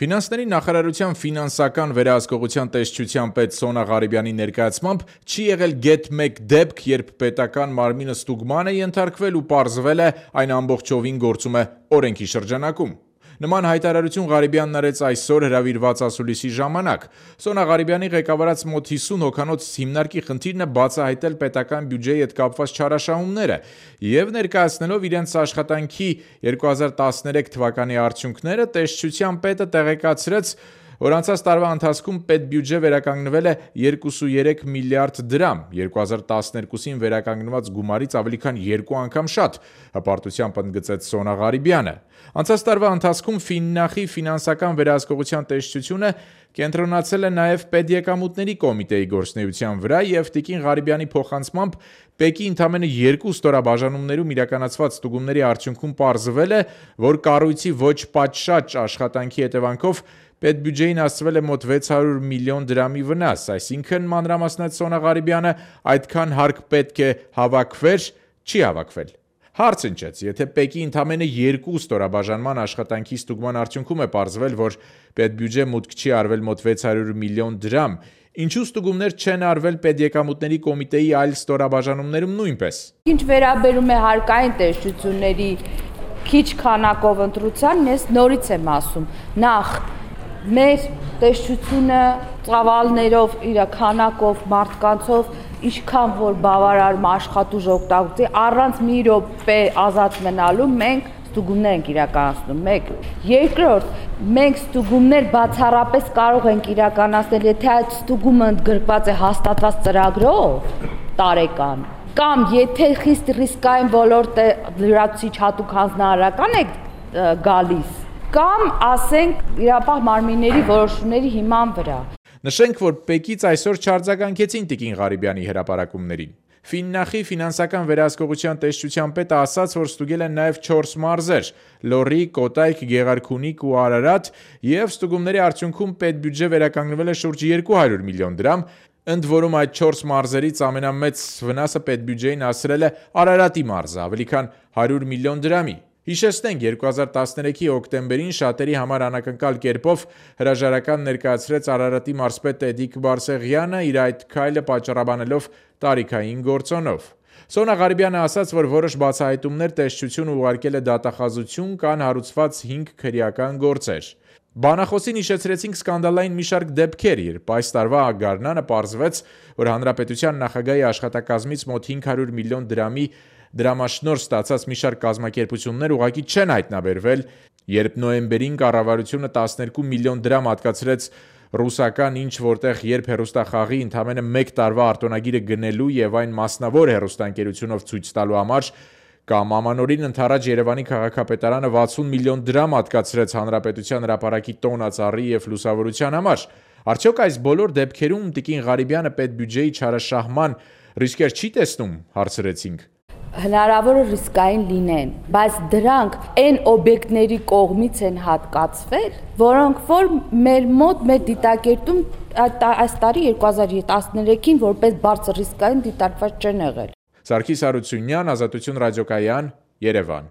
Ֆինանսների նախարարության ֆինանսական վերահսկողության տեսչության պետ Սոնա Ղարիբյանի ներկայացմամբ չի եղել գեթ մեկ դեպք, երբ պետական մարմինը ստուգման է ենթարկվել ու պարզվել է այն ամբողջովին գործում է օրենքի շրջանակում։ Նման հայտարարություն Ղարիբյանն արեց այսօր հրավիրված ասուլիսի ժամանակ։ Սոնա Ղարիբյանի ղեկավարած մոտ 50 հոգանոց հիմնարկի խնդիրն է բացահայտել պետական բյուջեի հետ կապված չարաշահումները եւ ներկայացնելով իրենց աշխատանքի 2013 թվականի արդյունքները, տեսչության պետը տեղեկացրեց, որ անցած տարվա ընթացքում պետբյուջե վերականգնվել է 23 միլիարդ դրամ, 2012-ին վերականգնված գումարից ավելի քան 2 անգամ շատ, հպարտությամբ ընդգծեց Սոնա Ղարիբյանը։ Անցած տարվա ընթացքում Ֆիննախի ֆինանսական վերահսկողության տեսչությունը կենտրոնացել է նաև պետեկամուտների կոմիտեի գործունեության վրա եւ Տիկին Ղարիբյանի փոխանցմամբ ՊԵԿ-ի ընդամենը 2 ստորաբաժանումներում իրականացված ստուգումների արդյունքում պարզվել է, որ կառույցի ոչ պատշաճ աշխատանքի հետևանքով պետբյուջեին հասցվել է մոտ 600 միլիոն դրամի վնաս, այսինքն մանրամասնեց Սոնա Ղարիբյանը, այդքան հարկ պետք է հավաքվեր, չի հավաքվել։ Հարց ընչեց, եթե ՊԵԿ-ի ընդամենը 2 ստորաբաժանման աշխատանքի ստուգման արդյունքում է պարզվել, որ պետբյուջե մուտք չի արվել մոտ 600 միլիոն դրամ, ինչու ստուգումներ չեն արվել պետեկամուտների կոմիտեի այլ ստորաբաժանումներում նույնպես։ Ինչ վերաբերում է հարկային տեսչությունների քիչ քանակով ընտրության, ես նորից եմ ասում, նախ մեր տեսչությունը ծավալներով, իր քանակով, մարդկանցով ինչքան որ բավարար աշխատուժ օգտագործի, առանց մի րոպե ազատ մնալու մենք ստուգումներ ենք իրականացնում, մեկ։ Երկրորդ, մենք ստուգումներ բացառապես կարող ենք իրականացնել, եթե այդ ստուգումը ընդգրկված է հաստատված ծրագրով տարեկան, կամ եթե խիստ ռիսկային ոլորտ է, լրացուցիչ հատուկ հանձնարարական է գալիս, կամ ասենք իրապահ մարմինների որոշումների հիման վրա։ Նշենք, որ ՊԵԿ-ից այսօր չարձագանքեցին Տիկին Ղարիբյանի հրապարակումներին։ Ֆիննախի ֆինանսական վերահսկողության տեսչության պետը ասաց, որ ստուգել են նաև 4 մարզեր՝ Լոռի, Կոտայք, Գեղարքունիք ու Արարատ, եւ ստուգումների արդյունքում պետբյուջե վերականգնվել է շուրջ 200 միլիոն դրամ, ընդ որում այդ 4 մարզերից ամենամեծ վնասը պետբյուջեին հասրել է Արարատի մարզը, ավելի քան 100 միլիոն դրամի։ Հիշեցնենք, 2013-ի հոկտեմբերին շատերի համար անակնկալ կերպով հրաժարական ներկայացրեց Արարատի մարզպետ Էդիկ Բարսեղյանը, իր այդ քայլը պատճառաբանելով տարիքային գործոնով։ Սոնա Ղարիբյանը ասաց, որ որոշ բացահայտումներ տեսչությունը ուղարկել է դատախազություն, կան հարուցված 5 քրեական գործեր։ Բանախոսին հիշեցրեցինք սկանդալային մի շարք դեպքեր, երբ այս տարվա գարնանը պարզվեց, որ հանրապետության նախագահի աշխատակազմից մոտ 500 միլիոն դրամի դրամաշնորհ ստացած մի շարք կազմակերպություններ ուղղակի չեն հայտնաբերվել, երբ նոյեմբերին կառավարությունը 12 միլիոն դրամ հատկացրեց ռուսական ինչ որտեղ երբ հեռուստախաղի ընդամենը 1 տարվա արտոնագիրը գնելու եւ այն մասնավոր հեռուստաընկերությունով ցույց տալու համար, կամ ամանորին ընթരാճ Երևանի քաղաքապետարանը 60 միլիոն դրամ հատկացրեց հանրապետության հրապարակի տոնածառի եւ լուսավորության համար։ Արդյոք այս բոլոր դեպքերում Տիկին Ղարիբյանը պետբյուջեի չարաշահման ռիսկեր չի տեսնում, հարցրեցինք։ Հնարավոր է ռիսկային լինեն, բայց դրանք այն օբյեկտների կողմից են հատկացվել, որոնք որ մեր մոտ մեր դիտակետում այս տարի 2013-ին որպես բարձր ռիսկային դիտարկված չեն եղել։ Սարգիս Հարությունյան, Ազատություն ռադիոկայան, Երևան։